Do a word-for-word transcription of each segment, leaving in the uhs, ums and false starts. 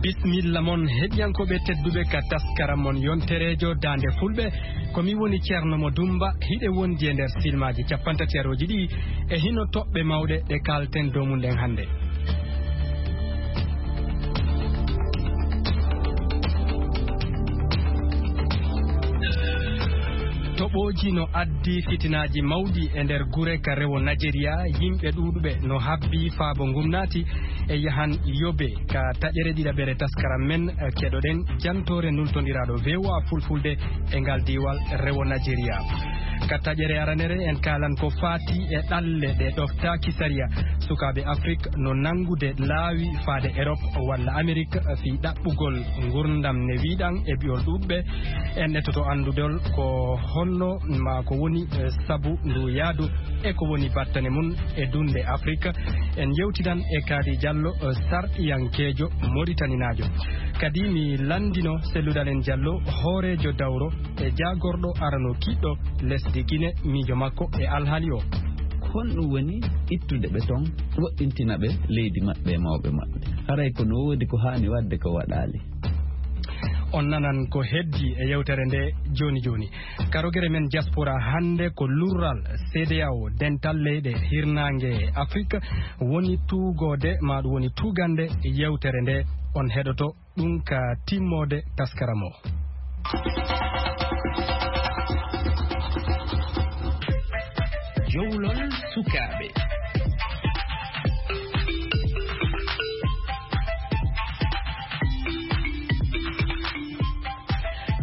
Bismilla mon, heɗiyankooɓe tedduɓe, ka taskaram mon yontereejo Daande Fulɓe. Ko mi woni Ceerno Mo Dumba, hiɗe wondi e nder silmaaji cappantateerooji ɗi e hino toɓɓe mawɗe ɗe kaalten dow mum ɗen hannde. Toɓooji no addi fitinaaji mawɗi e nder gure ka rewo Najeriya, yimɓe ɗuuɗuɓe no habbi faabo ngum naati e yahan yobe. Ka taƴere ɗiɗaɓere taskaram men, eh, keɗoɗen jantoore nultondiraaɗo V O A Fulfulde e ngal diiwal rewo Najeriya. Ka taƴere aranere en kaalan ko faati e ɗalle ɗe ɗoftaaki sariya. Sukaaɓe Afrik no nanngude laawi faade Erop walla Amerik fii ɗaɓɓugol ngurndam ne wiiɗan e bi'ol ɗuuɗuɓe. En etoto anndudol ko honno maa ko woni, eh, sabu ndu yaadu e ko woni battane mum e dunde Afrik. En yewtidan e Kaadi Jallo, eh, sarɗiyankeejo Moritaninaajo. Kadi mi lanndino selludal en Jallo, hooreejo dawro e jaagorɗo arano kiɗɗo lesdi Gine, miijo makko e alhaali o. Ko honɗum woni ittude ɓe toon, woɗɗintina ɓe leydi maɓɓe e mawɓe maɓɓe? Haray ko no woodi ko haani waɗde ko waɗaali. On nanan ko heddi e yewtere nde jooni jooni. Karogere men diaspora hannde ko lurral C D A O, dental leyɗe hirnaange Afrik, woni tuugoode, maa ɗum woni tuugande yewtere nde. On heɗoto ɗum ka timmoode taskaram o. Jowlol sukaaɓe.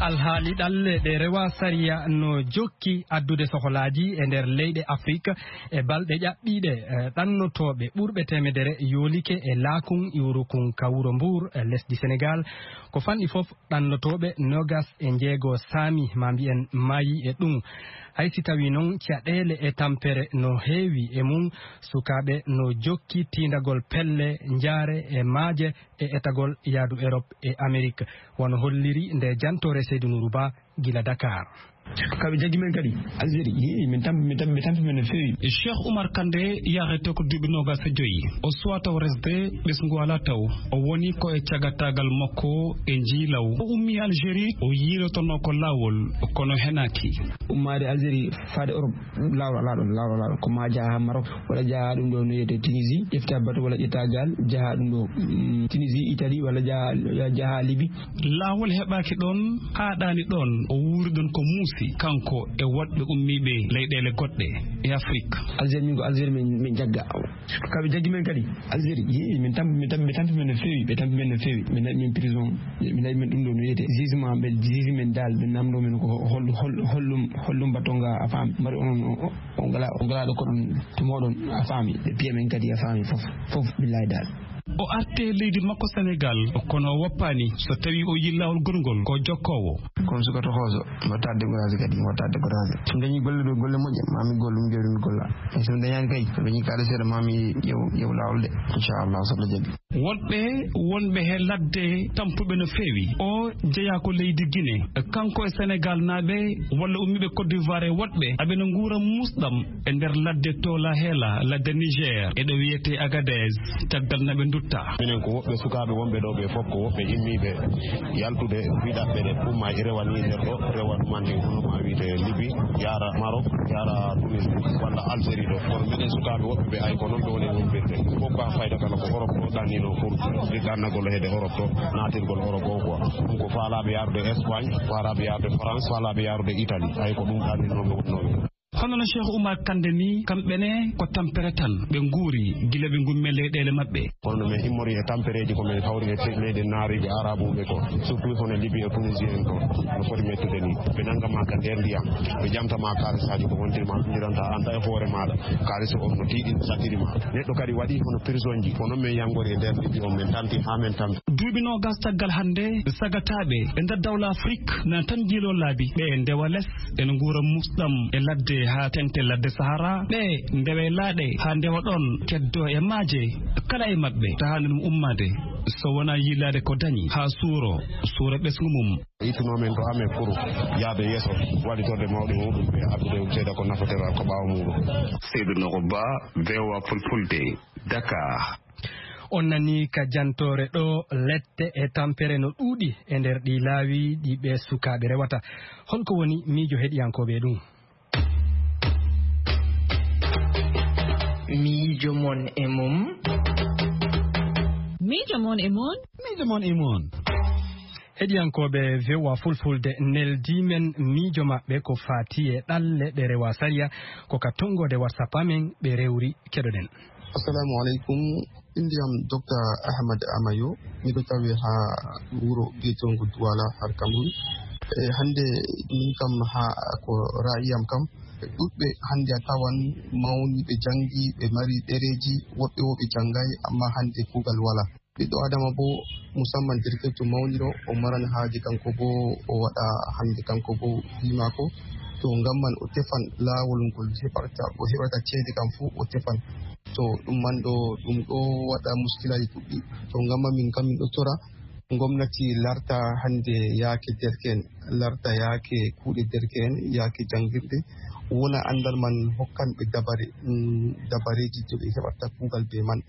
Alhaali ɗalle ɗe rewa sariya no jokki addude sokolaaji e nder leyɗe Afrik. E balɗe ƴaɓɓiiɗe, eh, ɗannotooɓe ɓurɓe teemedere yoolike e laakun iwrukun ka wuro Mbuur, eh, lesdi Senegaal. Ko fanɗi fof, ɗannotooɓe noogas e njeego saami, maa mbiyen, maayi e ɗum. Hay si tawii noon, caɗeele e tampere no heewi e mum, sukaaɓe no jokki tiindagol pelle, njaare e maaje e etagol yaadu Erop e Amerik, wano holliri nde jantoore Seydu Nuuru Ba gila Dakar. Kaɓe jaggi men kadi Algérie, yii, min tampi, min tampi, ɓe tampi men no feewi. Cheikh Oumar Kandé yarete ko duuɓi noogas e joyi. O suwaa taw resde ɓesngu alaa taw. O woni ko e cagataagal makko e njiilaw. O ummii Algérie, o yiilotonoo ko laawol, kono henaaki. Ummaade Algérie faade Europe, laawol alaa ɗon, laawol alaa ɗon. Ko maa jaha haa Maroc, walla jaha ɗum ɗo no wiyetee Tunisie, ƴefta bato walla ƴetta gaal, jaha ɗum ɗo, mm, Tunisie, Italie, walla jaha, jaha Libye. Laawol heɓaaki ɗon, haaɗaani ɗon, o wuuri ɗon ko muusi, kanko e woɗɓe ummiiɓe leyɗeele goɗɗe e Afrik. Algérie, min ko Algérie min, min jagga. Kaɓe jaggi men kadi Algérie, yii, min tampi, min tampi, ɓe tampi men no feewi, ɓe tampi men no feewi. Ɓe naɓi men prison, ɓe naɓi men ɗum ɗo no wiyetee jugement, ɓe juge men daal, ɓe namndoo men ko hol-, hol-, hollum, hollum batonga a faami. Mbaɗi onon o, o, o ngala, o ngala ɗo koɗon to mooɗon a faami. Ɓe piya men kadi a faami fof, fof billahi daal. O arti e leydi makko Senegaal, kono o woppaani. So tawii o yiyi laawol goɗngol, ko jokkoowo. Kono suka toxooso, wattaade découragé kadi, wattaade découragé. So dañii golle ɗo, golle moƴƴe, maa mi gollu, mi jooɗi mi golla. E so mi dañaani kay, so dañii kaalis seeɗa, maa mi ƴeew, ƴeew laawol de, inchallah, so Allah jaɓi. Woɗɓe wonɓe he ladde tampuɓe no feewi. O jeyaa ko leydi Gine. Kanko e Senegaal naaɓe walla ummiiɓe Côte d'Ivoire e woɗɓe, aɓe no nguura muusɗam e nder ladde Tola Hela, ladde Niger, e ɗo wiyetee Agadez, caggal na ɓe ndutta. Minen ko woɓɓe sukaaɓe wonɓe ɗo ɓe fof, ko woɓɓe immiiɓe yaltude fiɗaɓɓe ɗe, umma e rewa ni nder ɗo, rewa ɗumante hono ma wiyte Libi, yaara Maroc, yaara Tunis, walla Algérie ɗo. Kono minen sukaaɓe woɓɓe ɓe, ay ko noon ɓe woni wonɓirde. Fof ko fayda kala ko Europe ɗo ɗannino pour ɗannagol heede Europe ɗo, naatirgol Europe o quoi. Ɗum ko faalaaɓe yaarude Espagne, faalaaɓe yaarude France, faalaaɓe yaarude Italie. Ay ko ɗum ɗanninoɓe wonnooɓe. Hono no Cheikh Oumar Kandé ni, kamɓe ne ko tampere tan ɓe nguuri gila ɓe ngummi e leyɗeele maɓɓe. Kono no min immori e tampereeji ko min hawri e te-, leyɗe naariiɓe arabuɓe ko, surtout hono Libi e Tunisie en ko, no foti mettude ni. Ɓe nannga ma ka nder ndiyam, ɓe ƴamta ma kaalisaaji ko wontirma, ndiranta an e hoore maaɗa. Kaalis on no tiiɗi, no saɗɗiri ma. Neɗɗo kadi waɗi hono prisonji, ko noon min yanngori e nder Libi on, min tampi haa min tampi. Duuɓi noogas caggal hannde, sagataaɓe e nder dawla Afrik na tan njiiloo laabi. Ɓe ndewa les, ene nguura musɗam e ladde haa teŋti ladde Sahara. Ɓe ndewa e laaɗe haa ndewa ɗoon, keddoo e maaje. Kala e maɓɓe tahaani ɗum ummaade, so wonaa yiilaade ko dañi haa suuro, suura ɓesngu mum. Ittunoo men to amen pour yaade yeeso, waɗitorde mawɗi muɗum ɓe addude seeda ko nafotora ko ɓaawo muɗum. Seydou Nogo Ba, V O A Fulfulde, Dakar. On nanii ka jantoore ɗo, lette e tampere no ɗuuɗi e nder ɗi laawi ɗi ɓe sukaaɓe rewata. Holko woni miijo heɗiyankooɓe e ɗum? Miijo mon e mum. Miijo mon e mum. Miijo mon e mum. Heɗiyankooɓe V O A Fulfulde, neldii men miijo maɓɓe ko faati e ɗalle ɗe rewaa sariya, ko ka tonngoode WhatsApp amen ɓe rewri. Keɗoɗen. Assalamu aleykum. Innde am Docteur Ahmad Amayo. Miɗo tawi haa wuro biyeteego Duwala, har Cameroun. E hannde min kam, haa ko ra'ayi am kam, ɗuuɗɓe hannde a tawan mawniiɓe, janngi, ɓe mari ɗereeji, woɓɓe wo ɓe janngaay, amma hannde kuugal walaa. Ɓiɗɗo Adama boo, musamman derkeejo mawniro, o maran haaje kanko boo o waɗa hannde kanko boo fii maako. To ngam man o tefan laawol ngol heɓata, o heɓata ceede kam fuu o tefan. To ɗum man ɗo, ɗum ɗo waɗa muskilaaji ɗuuɗɗi. To ngam man min kam min ɗo tora ngomnati larta hannde yaake derke'en, larta yaake kuuɗe derke'en, yaake janngirde, wona anndal man hokkan ɓe dabare, mm, dabareeji to ɓe heɓata kuugal bee man.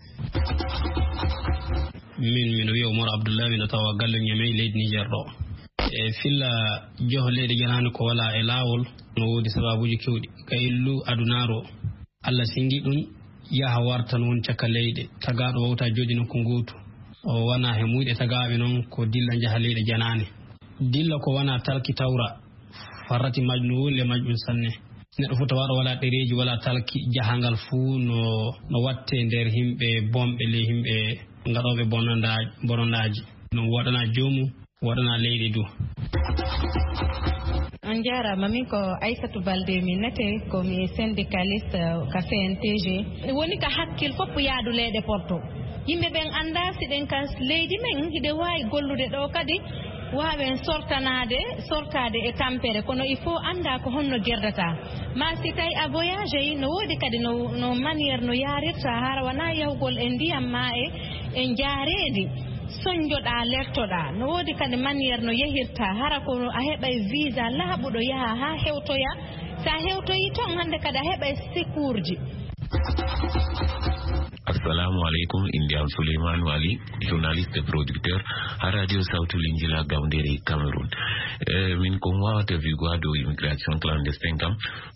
Min, miɗo wiya Umar Abdullahi, miɗo tawa galle Ñamey, leydi Niger ɗo. E filla joho leyɗe janaani ko walaa e laawol, no woodi sabaabuuji keewɗi. Ka illu adunaaru o, Allah senngi ɗum, yaha warta no woni caka leyɗe. Tagaaɗo wawta jooɗi nokku ngootu. O wana he muyɗe tagaaɓe noon ko dilla njaha leyɗe janaane. Dilla ko wana talki tawra. Farrati majjum no woni le majjum sanne. Neɗɗo fof tawaaɗo walaa ɗereeji, walaa talki, jahangal fuu no, no watte nder yimɓe bonɓe, ley yimɓe ngaɗooɓe bononda-, bonondaaji. No waɗana joomum, waɗana leydi du. On njaaraama, min ko Aissatou Baldé mi nate, ko mi syndicaliste ka C N T G. Woni ka hakkil fof yaadu leyɗe Porto. Yimɓe ɓen anndaa si ɗen ka leydi men hiɗe waawi gollude ɗo kadi, waawen sortanaade, sortaade e tampere, kono il faut anndaa ko honno gerdata. Ma si tawi a voyage yi, no woodi kadi no, no manière no yaarirta, hara wonaa yahugol e ndiyam ma e, e njaareendi. Soñjoɗaa, lertoɗaa. No woodi kadi manière no yahirta, hara ko a heɓay visa laaɓuɗo yaha haa hewtoya. Sa hewtoyi toon, hannde kadi a heɓay secours ji. Assalamu aleykum, innde am Souleymane Wali, journaliste et producteur ha radio Sawtu Linjila Gawndere Cameroun. Eh, min ko mi wawata wi'ugo ha dow immigration clandestine kam,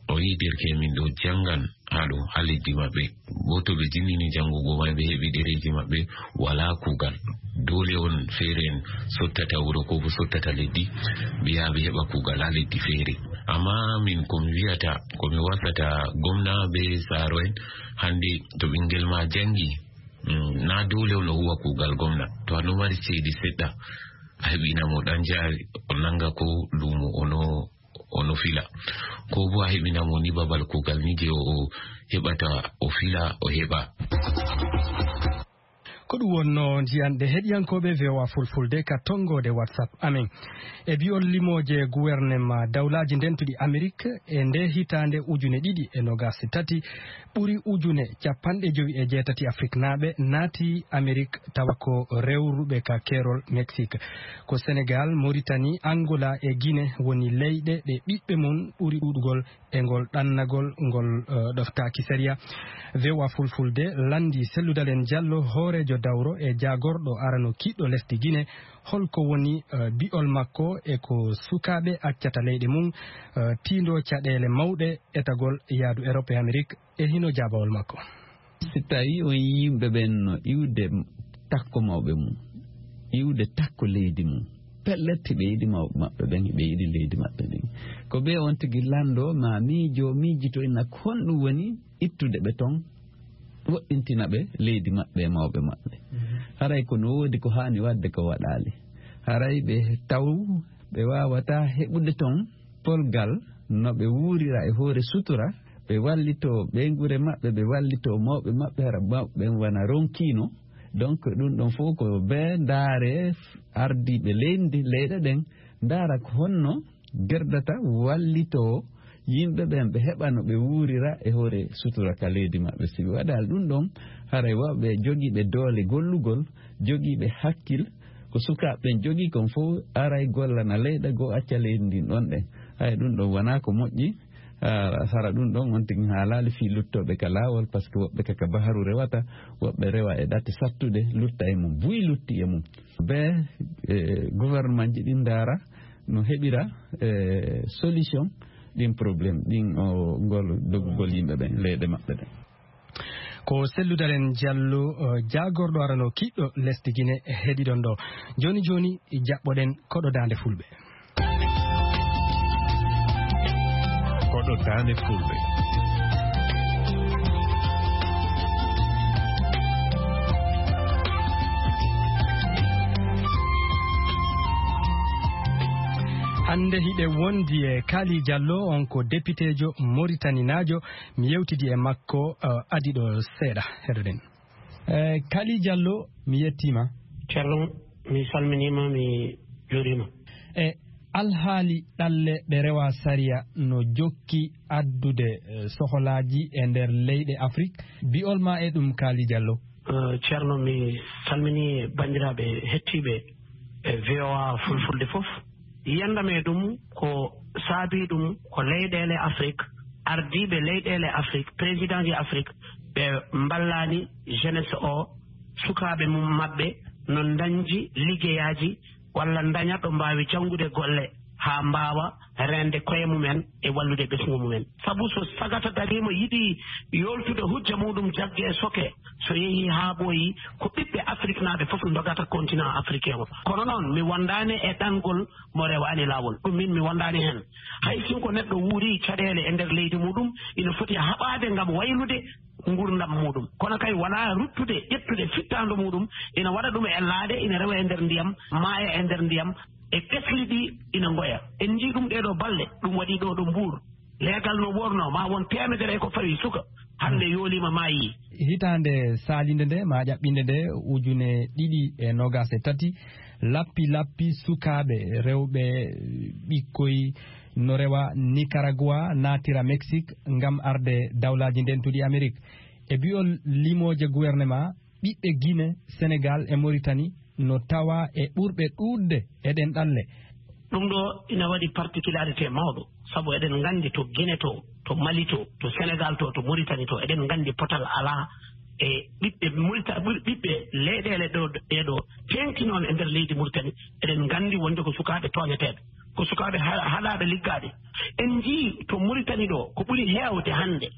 o yi derke min ɗo janngan ha ɗo ha leddi maɓɓe. Bo to ɓe jinnini janngugo may, ɓe heɓi ɗereeji maɓɓe, walaa kuugal. Doole on feere en sottata wuro ko bo sottata leddi, ɓe yaha ɓe heɓa kuugal ha leddi feere. Amma min ko mi wi'ata, ko mi wasata gomna be saaro en, hande to ɓingel ma jangi, mm, na doole on o huwa kuugal gomna. To a ɗo mari ceede seɗɗa, a heɓina mo ɗan jaari, o nanga ko luumo o no, o no fila. Ko bo a heɓina mo ni babal kuugal ni je o, o heɓata, o fila, o heɓa. Ko ɗum wonno njiyanɗe heɗiyankooɓe V O A Fulfulde ka tonngoode WhatsApp amen. E bi'ol limooje guwernema dawlaaji ndentuɗi Amerik, e nde hitaande ujune ɗiɗi e noogaas e tati, ɓuri ujune capanɗe jowi e jeetati Afriknaaɓe naati Amerik, tawa ko rewruɓe ka keerol Mexique. Ko Senegal, Mauritanie, Angola e Guinée woni leyɗe ɗe ɓiɓɓe mum ɓuri ɗuuɗugol e ngol ɗannagol ngol, eh, ɗoftaaki sariya. V O A Fulfulde lanndi Sellou Dalein Diallo, hooreejo dawro e jaagorɗo arano kiɗɗo lesdi Guinée, holko woni, eh, bi'ol makko e ko sukaaɓe accata leyɗe mum, eh, tiindoo caɗeele mawɗe etagol yaadu Europe e Amerik, e hino jaabawol makko. Si tawii on yimɓe ɓen no iwde takko mawɓe mum, iwde takko leydi mum, pellet, hiɓe yiɗi mawɓe maɓɓe ɓen, hiɓe yiɗi leydi maɓɓe ndin. Ko ɓe on tigi lanndoo, ma miijo, miijito ina ko honɗum woni ittude ɓe ton, woɗɗintina ɓe leydi maɓɓe e mawɓe maɓɓe. Mhm. Haray ko no woodi ko haani waɗde ko waɗaali. Haray ɓe taw ɓe waawataa heɓude ton polgal no ɓe wuurira e hoore sutura, ɓe wallitoo ɓeynguure maɓɓe, ɓe wallitoo mawɓe maɓɓe, hara mawɓe ɓen wana ronkiino Donc ɗum ɗon fof ko ɓe ndaare ardiiɓe leydi, leyɗe ɗen, ndaara ko honno gerdata wallitoo yimɓe ɓen, ɓe heɓa no ɓe wuurira e hoore sutura ka leydi maɓɓe. Si ɓe waɗaali ɗum ɗon, haray wawɓe jogiiɓe doole gollugol, jogiiɓe hakkil, ko sukaaɓe ɓen jogii kon fof aray gollana leyɗe goo, acca leydi ndin ɗon ɗen. Hay ɗum ɗon wonaa ko moƴƴi. Ah, hara ɗum ɗon on tigi haalaali fii luttooɓe ka laawol, parce que woɓɓe ka, ka baharu rewata, woɓɓe rewa e ɗate sattuɗe, lutta e mum, buy lutti e mum. Ɓe, eh, gouvernement ji ɗin ndaara no heɓira, eh, solution ɗin problème, ɗin o ngol dogugol yimɓe ɓen, leyɗe maɓɓe ɗen. Ko selludaren Jallo, eh, jaagorɗo arano kiɗɗo lesdi Gine heɗiɗon ɗo. Jooni jooni jaɓɓoɗen koɗo daande fulɓe. Koɗo daande fulɓe. Hannde hiɗe wondi e Kali Jallo, on ko depiteejo moritaninaajo. Mi yewtidi e makko, eh, adii ɗo seeɗa. Heɗoɗen. Eh, Kali Jallo, mi yettiima. Ceerno, mi salminiima, mi juuriima. E alhaali ɗalle ɗe rewaa sariya no jokki addude, eh, sohlaaji e nder leyɗe Afrik. Bi'ol ma e ɗum, Kali Jallo? Eh, Ceerno, mi salminii banndiraaɓe hettiiɓe e V O A Fulfulde fof. Yiyannde am e ɗum ko saabii ɗum ko leyɗeele Afrik, ardiiɓe leyɗeele Afrik, présidentji Afrik, ɓe mballaani jeunesse o, sukaaɓe mum maɓɓe, no ndañji liggeyaaji walla ndaña ɗo mbaawi janngude golle haa mbaawa reende koye mumen e wallude ɓesngu mumen. Sabu so sagata dariima yiɗi yooltude hujja muɗum jagge e soke, so yehii haa ɓooyi, ko ɓiɓɓe Afriknaaɓe fof ndogata continent africain o. Kono noon, mi wondaani e ɗangol mo rewaani laawol. Ɗum min mi wondaani heen. Hay sinko neɗɗo wuuri caɗeele e nder leydi muɗum, ina foti haɓaade ngam waylude nguurndam muɗum. Kono kay wonaa ruttude, ƴettude fittaandu muɗum, ina waɗa ɗum e laaɗe, ina rewa e nder ndiyam, maaya e nder ndiyam, e ɓesli ɗi ina ngoya. En njii ɗum ɗee ɗoo balɗe, ɗum waɗi ɗoo ɗo Mbuur. Leegal no wornoo, ma won teemedere e ko fawi suka, hannde yooliima, maayii. Hitaande saalinde nde, ma ƴaɓɓinde nde, ujune ɗiɗi e noogaas e tati, lappi lappi sukaaɓe rewɓe, ɓikkoy, no rewa Nicaragua, naatira Mexique, ngam arde Dawlaaji Ndentuɗi Amerik. E bi'ol limooje gouvernement, ɓiɓɓe Gine, Senegal e Mauritanie no tawa e ɓurɓe ɗuuɗde e ɗen ɗalle. Ɗum ɗo ina waɗi particularité mawɗo, sabu eɗen nganndi to Gine to, to Mali to, to Senegal to, to Mauritanie to, eɗen nganndi potal alaa e ɓiɓɓe Maurita-, ɓur-, ɓiɓɓe leyɗeele ɗo, ɗee ɗo teeŋti noon e nder leydi Mauritanie, eɗen nganndi wonde ko sukaaɓe tooñeteeɓe, ko sukaaɓe ha-, haɗaaɓe liggaaɓe. En njii to Mauritanie ɗo, ko ɓuri heewde hannde,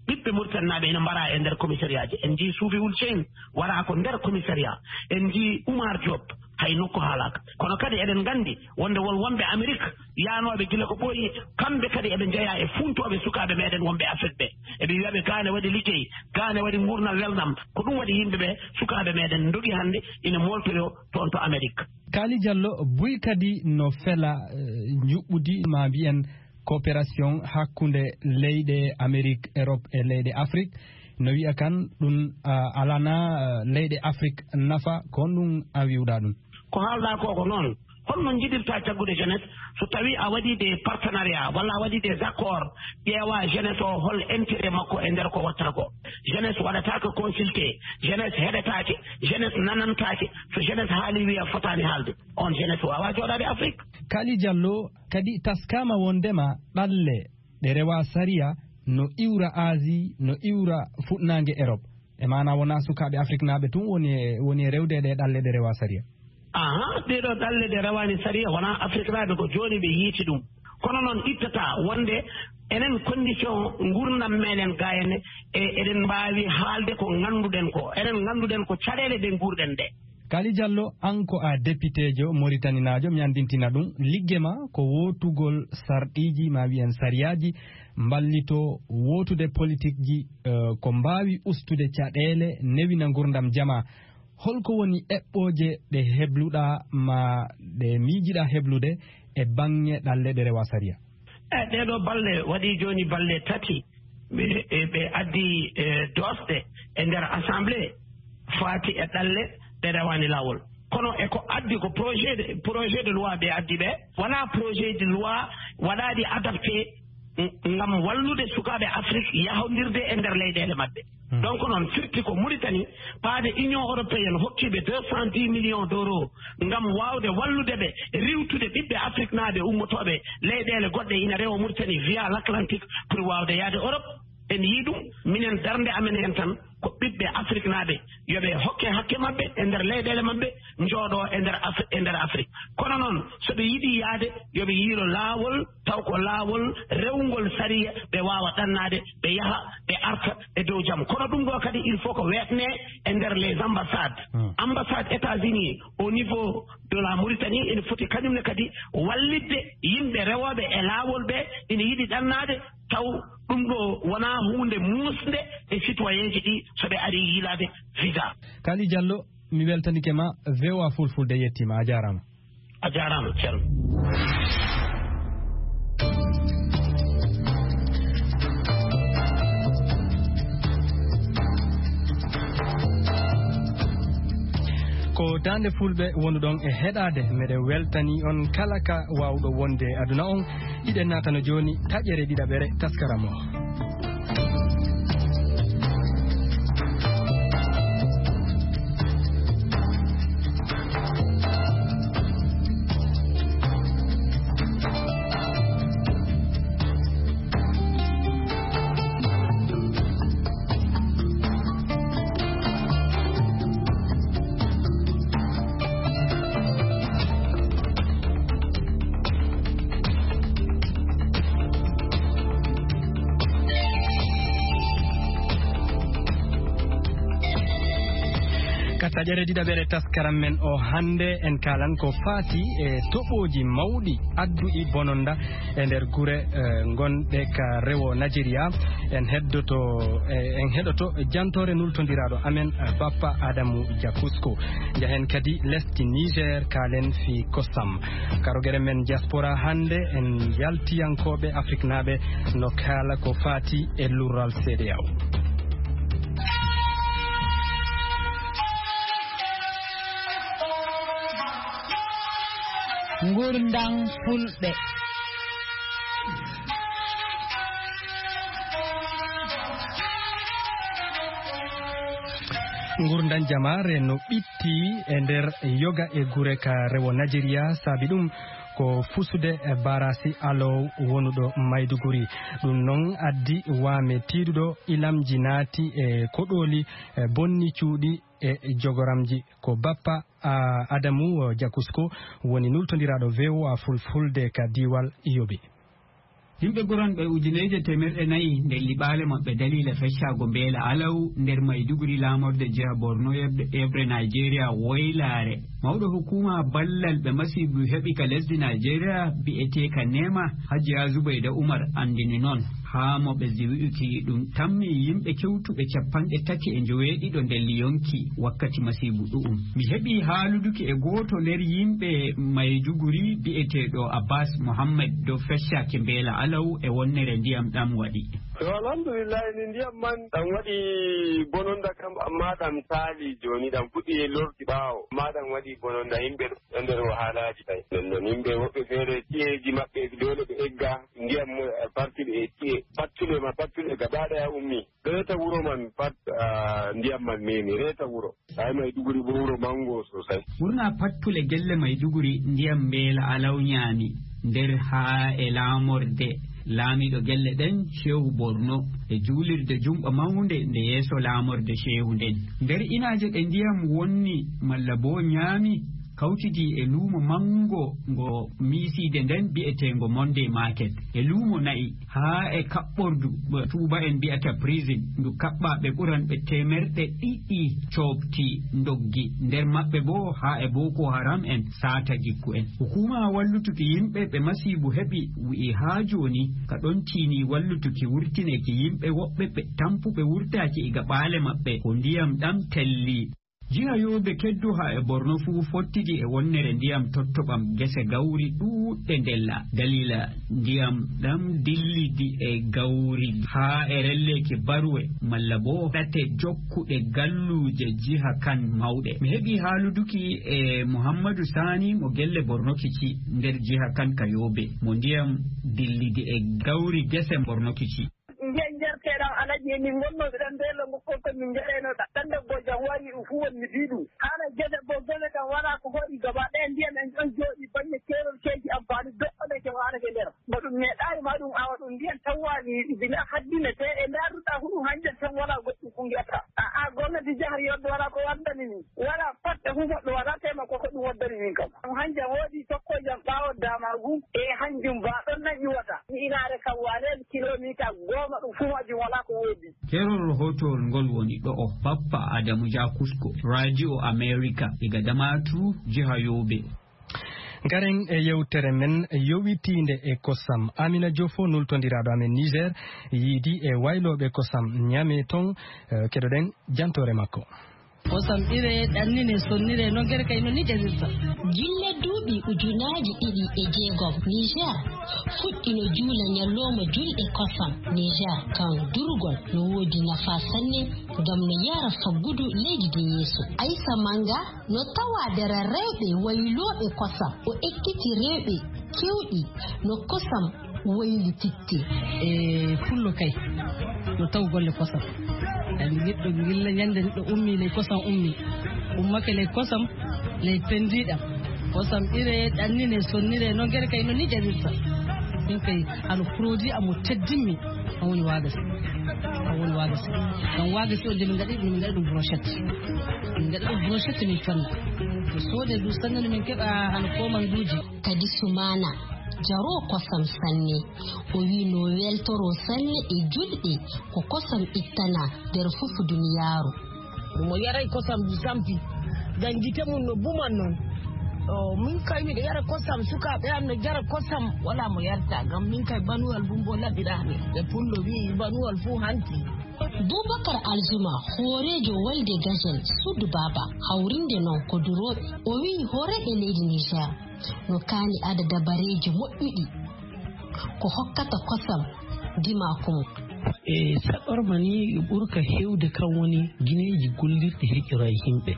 ɓiɓɓe Mauritanie naaɓe ina mbaraa e nder commissariat ji. En njii Suufi Wul Ceyn waraa ko nder commissariat. En njii Oumar Diop, hay nokku haalaaka. Kono kadi eɗen nganndi wonde won wonɓe Amerik yaanooɓe gila ko ɓooyi, kamɓe kadi eɓe njeyaa e fuuntooɓe sukaaɓe meɗen wonɓe Afrik ɓe. Eɓe wiya ɓe gaa ne waɗi liggey, gaa ne waɗi nguurndam welnam. Ko ɗum waɗi yimɓe ɓe, sukaaɓe meɗen ndogi hannde ina mooltoyoo toon to Amerik. Kali Jallo, buy kadi no fela, eh, njuɓɓudi, ma mbiyen, coopération hakkunde leyɗe Amerik, Erop e leyɗe Afrik. No wiya kan ɗum, ah, alana, ah, leyɗe Afrik nafa, ko honɗum a wiwɗa ɗum? Ko haalɗa ko, ko noon. Holno njiɗirta jaggude jeunesse so tawi a waɗi des partenariats walla a waɗi des accords, ƴeewa jeunesse o hol intérêt makko e nder ko wattata ko? Jeunesse waɗata ko consulté, jeunesse heɗetaake, jeunesse nanantaake. So jeunesse haali wiya fotaani haalde, on jeunesse wawa jooɗaade Afrik. Kali Jallo, kadi taskaama wondema ɗalle ɗe rewa sariya no iwra Asie, no iwra fuɗnaange Erop. E maana wona sukaaɓe Afriknaaɓe tun woni e, woni e rewde e ɗe ɗalle ɗe rewa sariya. Aha, ɗee ɗo ɗalle ɗe rewaani sariya wona Afriknaaɓe, ko jooni ɓe yiiti ɗum. Kono noon ittata wonde enen condition nguurndam meɗen ga henne, e eɗen mbaawi haalde ko ngannduɗen ko. Enen ngannduɗen ko caɗeele ɗe nguurɗen ɗe. Kali Jallo, an ko a depiteejo moritaninaajo, mi anndintina ɗum, ligge ma ko wootugol sarɗiiji, ma wiyen sariyaaji, mballitoo wootude politikji, eh, ko mbaawi ustude caɗeele, newina nguurndam jamaa. Holko woni eɓɓooje ɗe hebluɗaa ma ɗe miijiɗaa heblude e baŋŋe ɗalle ɗe rewa sariya? E ɗee ɗoo balɗe, waɗii jooni balɗe tati, ɓe, e ɓe addi, e, doosɗe e nder Assemblée. faati e ɗalle ɗe rewaani laawol. Kono e ko addi ko projet de, projet de loi ɓe addi ɓe, wonaa projet de loi waɗaaɗi adapté ngam wallude sukaaɓe Afrik yahondirde e nder leyɗeele maɓɓe. Donc noon firti ko Mauritanie, paade Union européenne hokkiiɓe deux cent dix millions d'euros ngam waawde wallude ɓe riiwtude ɓiɓɓe Afriknaaɓe ummotooɓe leyɗeele goɗɗe ina rewa Mauritanie via l'Atlantique pour waawde yahde Europe. En yii ɗum, minen darnde amen heen tan ko ɓiɓɓe Afriknaaɓe yo ɓe hokke hakke maɓɓe e nder leyɗeele maɓɓe, njooɗo e nder Afri-, e nder Afrik. Kono noon, so ɓe yiɗi yahde, yo ɓe yiilo laawol, taw ko laawol rewngol sariya, ɓe waawa ɗannaade, ɓe yaha, ɓe arta e dow jam. Kono ɗum ɗo kadi, il faut ko weetne e nder les ambassades. Ambassade États-Unis au niveau de la Mauritanie ene foti kañum ne kadi wallitde yimɓe rewooɓe e laawol ɓe ina yiɗi ɗannaade, taw ɗum ɗo wonaa huunde muusnde e citoyenji ɗi so ɓe ari yiilaade visa. Kali Diallo, mi weltanike ma, V O A Fulfulde yettiima, a jaaraama. A jaaraama, ceerno. Ko Daande Fulɓe wonuɗon e heɗaade, meɗe weltani on kala ka waawɗo wonde e aduna on. Hiɗen naatano jooni taƴere ɗiɗaɓere taskaram o. Ka taƴere ɗiɗaɓere taskaram men o hannde, en kaalan ko faati e toɓooji mawɗi adduɗi bononda e nder gure, eh, ngonɗe ka rewo Najeriya. En heddoto, eh, en heɗoto jantoore nultondiraaɗo amen, eh, Bappa Adamu Jakusko. Njahen kadi lesdi Niger, kaalen fii kosam. Ka rogere men diaspora hannde, en yaltiyankooɓe Afriknaaɓe no kaala ko faati e lurral C D A O. Ngurndam Fulɓe. Ngurndam jamaare no ɓitti e nder yoga e gure ka rewo Najeriya, saabi ɗum ko fusude e barasi Alow wonuɗo Maiduguri. Ɗum noon addi waame tiiɗuɗo, ilamji naati e koɗooli, e bonni cuuɗi e jogoramji. Ko Bappa, a, Adamu, o, Jakusko woni nultondiraaɗo V O A Fulfulde ka diiwal Yobe. Yimɓe ɓuranɓe ujineeje teemerɗe nayi ndelli ɓaale maɓɓe daliila feccaago mbeela Alaw nder Maiduguri, laamorde jiha Borno, yeɓre, yeɓre Nigeria woylaare. Mawɗo hukuma ballal ɓe masiibu heɓi ka lesdi Nigeria, bi'eteeka Nema, Hajiya Zubayda Umar, anndini noon. Haa mo ɓesdi wi'uki ɗum tammi yimɓe kewtuɓe capanɗe tati e njoweeɗiɗo nder yonki wakkati masiibu ɗu'um. Mi heɓi haaluduki e gooto nder yimɓe Maiduguri bi'eteeɗo Abbas Mohammed dow feccaaki mbeela Alaw e wonnere ndiyam ɗam waɗi. To, alhamdulillahi, ni ndiyam man ɗam waɗi bononda kam, amma ɗam saali jooni, ɗam fuɗɗi e lorti ɓaawo, amma ɗam waɗi bononda. Yimɓe ɗo nder wahalaaji tawi. Nden non yimɓe woɓɓe feere ci'eji maɓɓe doole ɓe egga, ndiyam mo e parti ɓe e ci'e. Pattule ma, pattule gaba ɗaya ummi. Reeta wuro man pat, ah, ndiyam man memi. Reeta wuro. Ay, Maiduguri bo wuro mango sosai. Ɓurna pattule gelle Maiduguri ndiyam mbeela Alaw nyaami. Nder haa e laamorde laamiiɗo gelle ɗen, Shehu Borno, e juulirde jumɓa mawnde nde yeeso laamorde Shehu nden. Nder inaaje ɗe ndiyam wonni malla bo nyaami, kawtidi e luumo manngo ngo miisiide nden bi'eteengo Monday Market, e luumo na'i, haa e kaɓɓordu mo tuuba'en mbi'ata prison, ndu kaɓɓaaɓe ɓuranɓe teemerɗe ɗiɗi coɓti ndoggi, nder maɓɓe boo haa e Boko Haram en saata gikku en. Hukuma wallutuki yimɓe ɓe masiibu heɓi wi'i haa jooni ka ɗon tiini wallutuki wurtineki yimɓe woɓɓe ɓe tampuɓe wurtaaki iga ɓaale maɓɓe ko ndiyam ɗam telli. Jiha Yobe keddu haa e Borno fuu fottidi e wonnere ndiyam tottoɓam gese gawri ɗuuɗɗe ndella. Daliila ndiyam ɗam dillidi e gawri haa e relleeki baruwe malla boo ɗate jokkuɗe galluuje jiha kan mawɗe. Mi heɓi haaluduki e Muhammadu Sani mo gelle Borno Kici nder jiha kan ka Yobe, mo ndiyam dillidi e gawri gese Borno Kici. Nde njarteɗam alaji e min ngonnooɓe ɗan nde langu kon ko min njareyno ɗan ɗan debbo jam wari ɗum fu won mi fii ɗum. Haala gese bo gese kam wala ko hoɗi gaba ɗaya ndiyam en ɗon jooɗi baŋŋe keerol keeji amfaani doɗɗo ɗe ke waɗake nder. Ba ɗum meeɗaali ma ɗum awa ɗum ndiyam tawwaani bila haddine te e ndaarduɗa fu ɗum hanjam tan wala goɗɗum ko ngi'ata. A a gomnati jahri yodde wala ko waddani min. Wala pat e fu goɗɗo wala tema ko ko ɗum waddani min kam. Ɗum hanjam woodi tokko jam ɓaawo daamaagu e hanjum ba ɗon nan iwata. Mi inaare kam waane kilomita goma ɗum fu majum wala ko woodi. Keerol rahootowol ngol woni ɗo'o, Bappa Adamu Jakusko, Radio America, diga Damaturu, jiha Yobe. Ngaren e yewtere men yowitiinde e kosam. Amina Jofo, nultondiraaɗo amen Niger, yiidi e waylooɓe kosam Ñame ton, eh, keɗoɗen jantoore makko. Kosam ire, ɗannine, sonnire, no gere kay no ni ƴarirta. Gilla duuɓi ujunaaji ɗiɗi e jeegom, Niger fuɗɗino juula ñallooma julɗe kosam. Niger kan durgol no woodi nafa sanne ngam no yara faggudu leydi din yeeso. Aisa Manga no tawa nder rewɓe waylooɓe kosam. O ekkiti rewɓe kewɗi no kosam waylititte. E pullo kay no taw golle kosam. Kadi neɗɗo gilla ñande neɗɗo ummi ley kosam ummi. Ummake ley kosam, ley pendiɗam. Kosam ire, ɗannine, sonnire, no gere kay no ni ƴarirta. Min kay hano produit am mo teddimmi. Kan woni waagasi. Kan woni waagasi. Kan waagasi o nde min ngaɗi, min ngaɗi ɗum brochette. Min ngaɗi ɗum brochette min fanni. Ko soode du sanne no min keɓa hano komanduuji. Kadi Sumana jaro kosam sanne. O wi no weltoro sanne e julɗe ko kosam ittana nder fufu duniyaaru. Mo yaray kosam du sampi. Ngam gite mum no buman non. O, min kay miɗo yara kosam, sukaaɓe am no jara kosam, wala mo yarta. Ngam min kay banuwal bumbo laɓiraami. Ɓe pullo wi'i banuwal fuu hanti. Bubakar Alzuma, hooreejo wolde Gajel Suudu Baaba, hawrinde non ko durooɓe. O wi'i hooreeɓe leydi Niger no kaani ada dabareeji moƴƴuɗi ko hokkata kosam dimaaku mum. E saɗorma ni ɓurka heewde kan woni gineeji gollirɗi heƴora e yimɓe.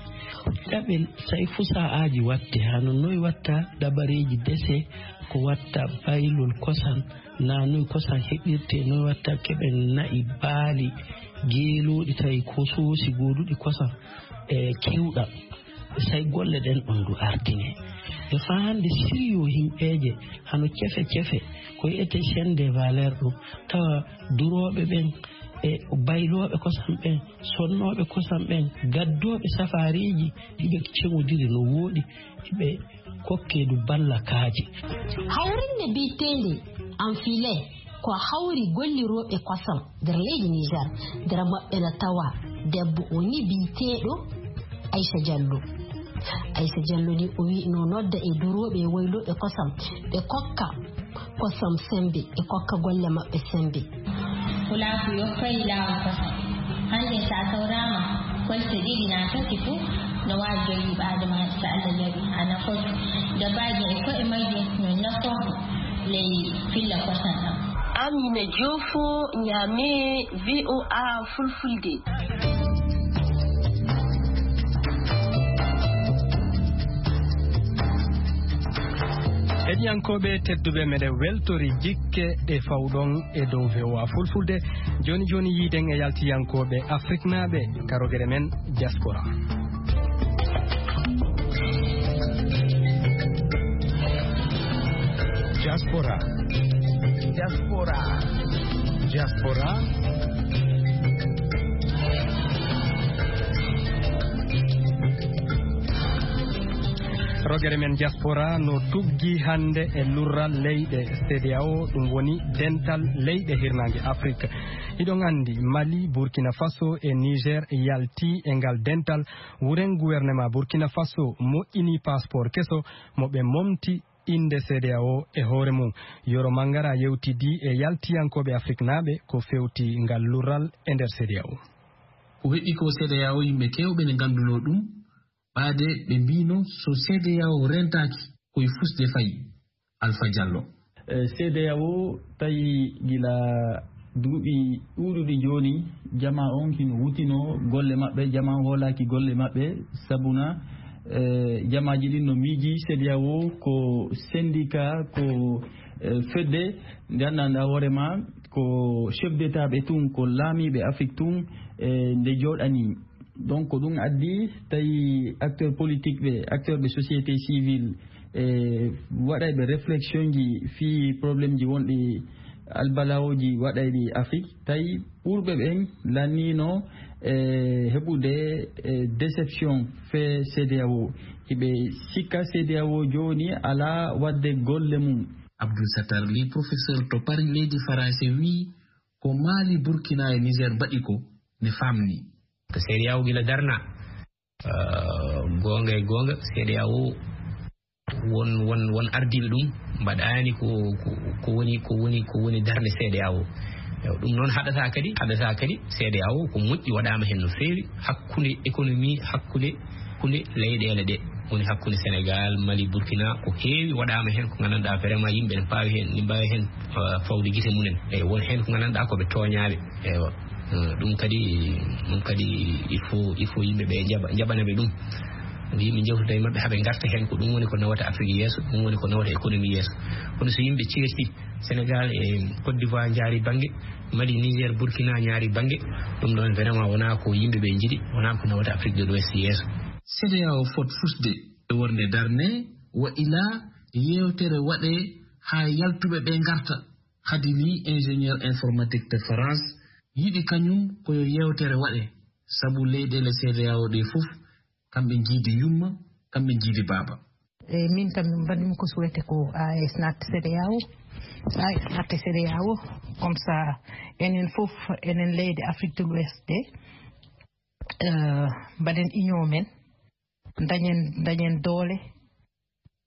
Ɗaɓel say fusa'aaji waɗte hano noy watta dabareeji dese, ko watta baylol kosam, na noy kosam heɓirte, noy watta keɓen na'i, baali, geelooɗi tawi ko soosi gooduɗi kosam e kewɗam. Say golle ɗen ɗon du ardine. E faa hannde siriyo himɓeeje hano cefe cefe, ko wi'ete chaîne de valeur ɗum, tawa durooɓe ɓen e baylooɓe kosam ɓen, sonnooɓe kosam ɓen, gaddooɓe safaariiji, hiɓe ceŋodiri no wooɗi, hiɓe kokke du balla kaaji. Hawrinde biyeteende Anfile ko hawri gollirooɓe kosam nder leydi Niger. Nder maɓɓe na tawa debbo o ni biyeteeɗo Aisha Jallo. Aisha Jallo ni o wi no nodda e durooɓe e waylooɓe kosam, ɓe kokka kosam sembe, ɓe kokka golle maɓɓe sembe. Pulaaku yokkay laawol kosam. Hannde so a tawraama kolte ɗiɗi naa tati fof, no waawi jogiiɓe aadamaaji so Allah jaɓi. Ana foti dabaaji e koye majje no nafoto ley filla kosam ɗam. Amina Jofo, Ñaame, V O A Fulfulde. Heɗiyankooɓe tedduɓe, meɗen weltori jikke ɗe fawɗon e dow V O A Fulfulde. Jooni jooni yiiden e yaltiyankooɓe Afriknaaɓe ka rogere men Diaspora. Diaspora. Diaspora. Diaspora. Rogere men Diaspora no tuggi hannde e lurral leyɗe C D A O, ɗum woni dental leyɗe hirnaange Afrik. Hiɗon anndi, Mali, Burkina Faso e Niger yalti e ngal dental. Wuren gouvernement Burkina Faso moƴƴini passeport keso mo ɓe momti innde C D A O e hoore mum. Yoro Mangara yewtidi e yaltiyankooɓe Afriknaaɓe ko fewti ngal lurral e nder C D A O. Ko heɓi ko C D A O, yimɓe keewɓe ne nganndunoo ɗum, ɓaade ɓe mbiino so C D A O rentaaki, ko e fusde fayi. Alpha Diallo. Eh, C D A O tawi gila duuɓi ɗuuɗuɗi jooni, jama on hino wutino golle maɓɓe, jama on hoolaaki golle maɓɓe, sabuna, eh, jamaaji ɗin no miiji C D A O ko syndicat, ko, eh, fedde nde anndanɗaa hoore ma ko chef d'État ɓe tun, ko laamiiɓe Afrik tun, eh, nde jooɗani. Donc, ko ɗum addi tawi acteur politique ɓe, acteur ɓe société civile, e waɗayɓe réflexion ji fii problème ji wonɗi albalawoji waɗayɗi Afrique, tawi ɓurɓe ɓen lanniino e heɓude e déception fee C D A O. Hiɓe sikka C D A O jooni alaa waɗde golle mum. Abdul Sattar Ly, professeur to Paris, leydi Faransi, wii ko Mali, Burkina e Niger mbaɗi ko ne faamni. Ko C D A O gila darna, eh, goonga e goonga, C D A O won, won, won ardiiɓe ɗum mbaɗaani ko, ko, ko woni, ko woni, ko woni darnde C D A O. Ewa, ɗum noon haɗata kadi, haɗata kadi C D A O ko moƴƴi waɗaama heen no feewi hakkunde économie, hakkunde, hakkunde leyɗeele ɗe, woni hakkunde Sénégal, Mali, Burkina, ko heewi waɗaama heen ko nganndanɗaa vraiment yimɓe ne mbaawi heen, ne mbaawi heen, eh, fawde gite mumen. Eyi, won heen ko nganndanɗaa ko ɓe tooñaaɓe. Ewa. Eh, ɗum kadi, ɗum kadi il faut, il faut yimɓe ɓe njaɓa, njaɓana ɓe ɗum. Yimɓe njewtida e maɓɓe haa ɓe ngarta heen, ko ɗum woni ko nawata Afrique yeeso, ɗum woni ko nawata économie yeeso. Kono so yimɓe ceerti, Sénégal e Côte d'Ivoire njaari bannge, Mali, Niger, Burkina njaari bannge, ɗum ɗoon vraiment wonaa ko yimɓe ɓe njiɗi, wonaa ko nawata Afrique de l'Ouest yeeso. C D A O fot fusde e wonde darne, wa ilaa yeewtere waɗee haa yaltuɓe ɓe ngarta. Khady Ly, ingénieur informatique to France, yiɗi kañum ko yo yeewtere waɗe, sabu leyɗeele C D A O ɗe fof, kamɓe njiidi yumma, kamɓe njiidi baaba. E min kam, min mbaɗmi ko souhaité ko A E S natta C D A O. So A E S natta C D A O, comme ça, enen fof, enen leyɗe Afrique de l'Ouest ɗe, eh, mbaɗen union men, dañen, dañen doole,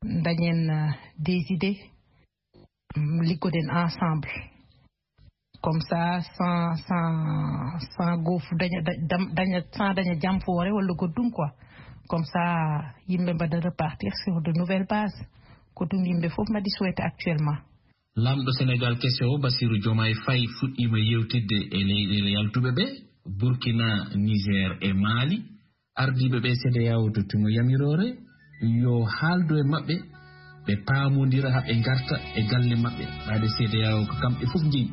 dañen, eh, des idées, mm, liggoɗen ensemble. Comme ça, sans, sans, sans goofu daña, da-, dam-, daña, sans daña jamfoore walla goɗɗum quoi. Comme ça, yimɓe mbaɗa repartir sur de nouvelles bases. Ko ɗum yimɓe fof mbaɗi souhaité actuellement. Laamɗo Sénégal keso o, Bassirou Diomaye Faye, fuɗɗiima yewtidde e leyɗeele yaltuɓe ɓe, Burkina, Niger e Mali. Ardiiɓe ɓe C D A O tottimo yamiroore yo haaldu e maɓɓe, ɓe paamondira haa ɓe ngarta e galle maɓɓe, ɓaade C D A O ko kamɓe fof njeyi.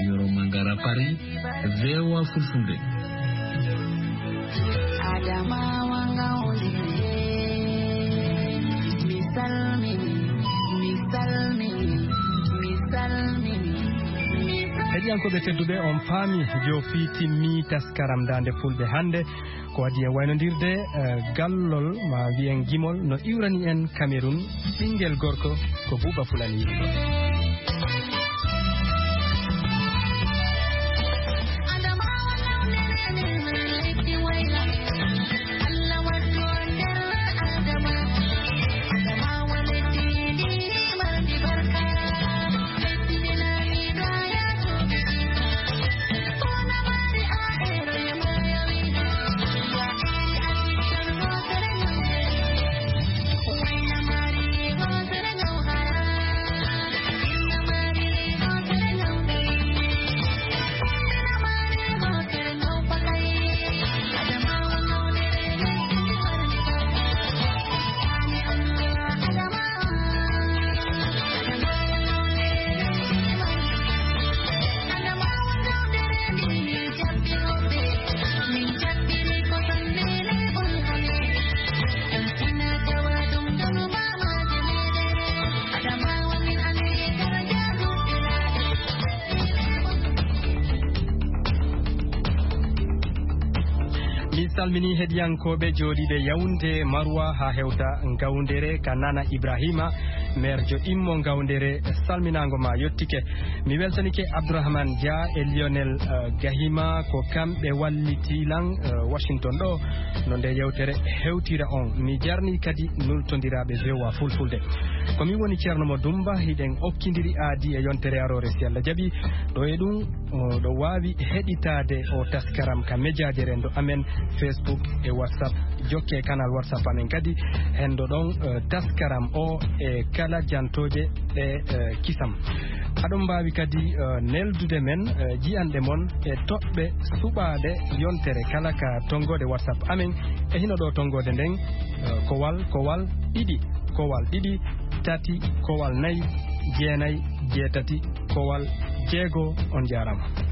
Yoro Mangara, Paris, V O A Fulfulde. Adamawa ngawlire, mi salmini, mi salmini, mi salmini, mi salmini. Heɗiyankooɓe tedduɓe, on paami joofii timmi taskaram Daande Fulɓe hannde. Ko adii en waynondirde, eh, gallol, ma wiyen gimol, no iwrani en Cameroun, ɓinngel gorko ko Buuba Fulani yimɓe. Salmini heɗiyankooɓe jooɗiiɓe Yaoundé, Maroua haa hewta Ngawndere ka Nana Ibrahima, maire jo immo Ngawndere, salminaango ma yottike. Mi weltanike Abdourahmane Dia e Lionel, eh, Gahima, ko kamɓe walliti lan, eh, Washington ɗo, no nde yewtere hewtira on. Mi jarni kadi nultondiraaɓe V O A Fulfulde. Ko mi woni Ceerno Mo Dumba, hiɗen okkindiri aadi e yontere aroore si Allah jaɓi. Ɗo e ɗum, o, ɗo waawi heɗitaade o taskaram ka mejaaje renndo amen, Facebook e WhatsApp. Jokke kanal WhatsApp amen kadi, hendo ɗon, eh, taskaram o e kala jantooje ɗe, eh, kisam. Aɗon mbaawi kadi, eh, neldude men, eh, jiyanɗe mon e toɓɓe suɓaaɗe yontere kala ka tonngoode WhatsApp amen. E hino ɗo tonngoode nden, eh, kowal, kowal, ɗiɗi, kowal, ɗiɗi, tati, kowal, nayi, jeenayi, jeetati, kowal, jeego. On jaaraama.